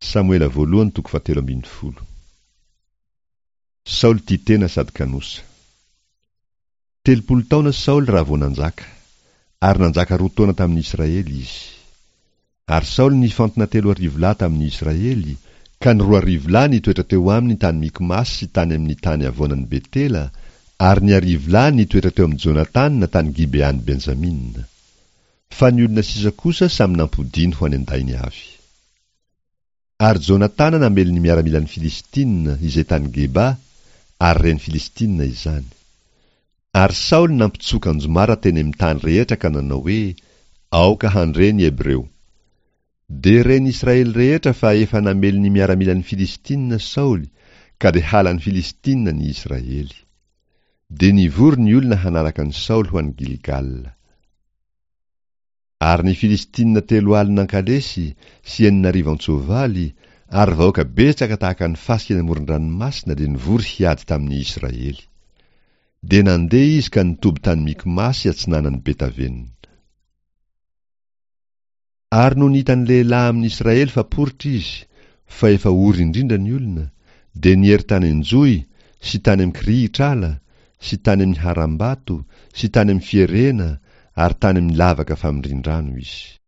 Samoela voalohany toko fahatelo ambin'ny folo. Saoly tia tena sady kanosa. 30 taona Saoly raha vao nanjaka, ary nanjaka roa taona tamin'ny Israely izy. Ary Saoly nifantina 3000 lahy tamin'ny Israely, ka ny 2000 lahy nitoetra teo aminy tany Mikmasy sy tany amin'ny tany havoanan'i Betela, ary ny 100 lahy nitoetra teo amin'i Jonatana tany Gibean'i Benjamina. Fa ny olona sisa kosa samy nampodiany ho any an-dainy avy. Ary Jonatana namely ny miaramilan'ny Filistina izay tany Geba, ary ren'ny Filistina izany. Ary Saoly nampitsoka anjomara teny amin'ny tany rehetra ka nanao hoe, Aoka handre ny Hebreo. Dia ren'ny Israely rehetra fa efa namely ny miaramilan'ny Filistina Saoly, ka dia halan'ny Filistina ny Israely. Dia nivory ny olona hanaraka an'i Saoly ho any Gilgala. Ary ny Filistina 40 an-kalesy sy 6000 an-tsoavaly ary vahoaka betsaka tahaka ny fasika eny amoron-dranomasina dia nivory hiady tamin'ny Israely. Dia nandeha izy ka nitoby tany Mikmasy atsinanan'i Betavena. Ary nony hitan'ny lehilahy amin'ny Israely fa poritra izy, fa efa ory indrindra ny olona, dia niery tany an-johy sy tany amin'ny kirihitr'ala sy tany amin'ny harambato sy tany amin'ny fierena ary tany amin'ny lavaka famindrin-drano izy.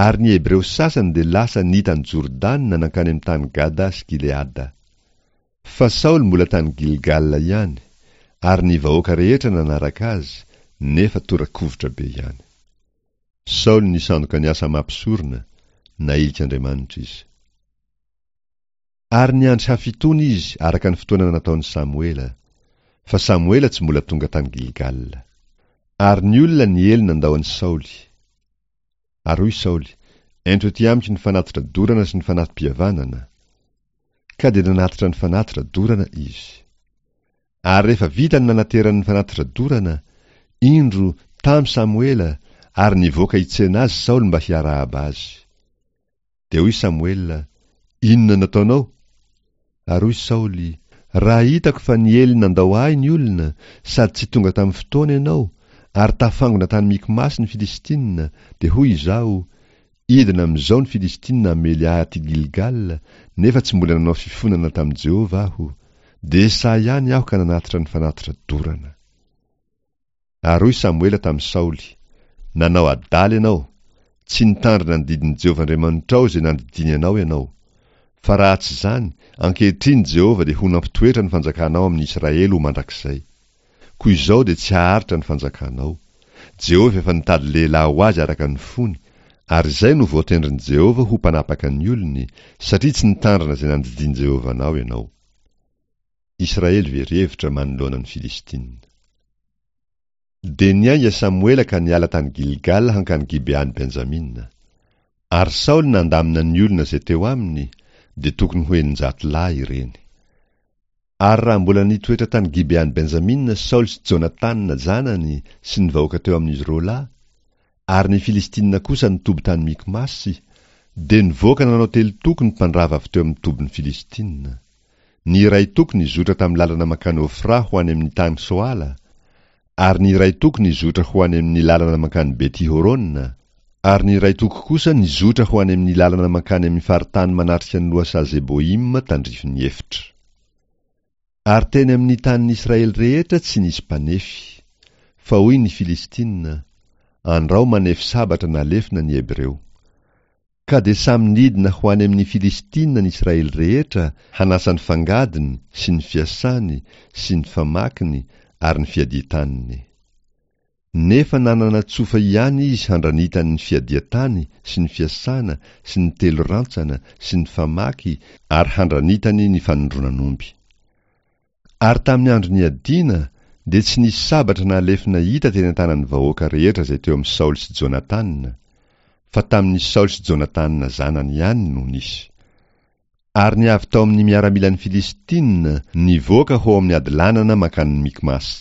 Ary ny Hebreo sasany dia lasa nita an'i Jordana nankany amin'ny tany Gada sy Gileada. Fa Saoly mbola tany Gilgala ihany, ary ny vahoaka rehetra nanaraka azy, nefa tora-kovitra be ihany. Saoly nisandoka ny asa maha mpisorona, nahilik'Andriamanitra izy. Ary niandry hafitoana izy araka ny fotoana nataon'i Samoela, fa Samoela tsy mbola tonga tany Gilgala. Ary ny olona niely nandao an'i Saoly. Ary hoy Saoly, Ento ety amiko ny fanatitra dorana sy ny fanati-pihavanana. Ka dia nanatitra ny fanatitra dorana izy. Ary rehefa vita ny nanaterany ny fanatitra dorana, indro, tamy Samoela, ary nivoaka hitsena azy Saoly mba hiarahaba azy. Dia hoy Samoela, Inona nataonao? Ary hoy Saoly, Raha hitako fa niely nandao ahy ny olona, sady tsy tonga tamin'ny fotoana ianao, ary tafangona tany Mikmasy ny Filistina, dia hoy izaho, Hidina amin'izao ny Filistina hamely ahy aty Gilgala, nefa tsy mbola nanao fifonana tamin'i Jehovah aho. Dia sahy ihany aho ka nanatitra ny fanatitra dorana. Ary hoy Samoela tamin'i Saoly, Nanao adala ianao, tsy nitandrina ny didin'i Jehovah Andriamanitrao izay nandidiany anao ianao. Fa raha tsy izany, ankehitriny Jehovah dia ho nampitoetra ny fanjakanao amin'i Israely ho mandrakizay. Koa izao dia tsy haharitra ny fanjakanao. Jehovah efa nitady lehilahy ho azy araka ny fony, ary izay no voatendrin'i Jehovah ho mpanapaka ny olony, satria tsy nitandrina izay nandidian'i Jehovah anao ianao. Israely very hevitra manoloana ny Filistina. Dia niainga Samoela ka niala tany Gilgala hankany Gibean'i Benjamina. Ary Saoly nandamina ny olona izay teo aminy, dia tokony ho 600 lahy ireny. Ary raha mbola nitoetra tany Gibean'i Benjamina Saoly sy Jonatana zanany sy ny vahoaka teo amin'izy roa lahy, ary ny Filistina kosa nitoby tany Mikmasy, dia nivoaka nanao telo toko ny mpandrava avy teo amin'ny tobin'ny Filistina. Ny iray toko nizotra tamin'ny lalana mankany Ofra ho any amin'ny tany Soala, ary ny iray toko nizotra ho any amin'ny lalana mankany Beti-Horona, ary ny iray toko kosa nizotra ho any amin'ny lalana mankany amin'ny faritany manatrika ny lohasaha Zeboima tandrifin'ny efitra. Ary teny amin'ny tanin'i Israely rehetra tsy nisy mpanefy. Fa hoy ny Filistina, Andrao manefy sabatra na lefona ny Hebreo. Ka dia samy nidina ho any amin'ny Filistina ny Israely rehetra hanasa ny fangadiny sy ny fiasany sy ny famakiny ary ny fiadian-taniny. Nefa nanana tsofa ihany izy handranitany ny fiadian-tany sy ny fiasana sy ny telo rantsana sy ny famaky ary handranitany ny fanondronan'omby. Ary tamin'ny andro niadiana, dia tsy nisy sabatra na lefona hita teny an-tanan'ny vahoaka rehetra izay teo amin'i Saoly sy Jonatana, fa tamin'i Saoly sy Jonatana zanany ihany no nisy. Ary ny avy tao amin'ny miaramilan'ny Filistina nivoaka ho ao amin'ny hadilanana mankany Mikmasy.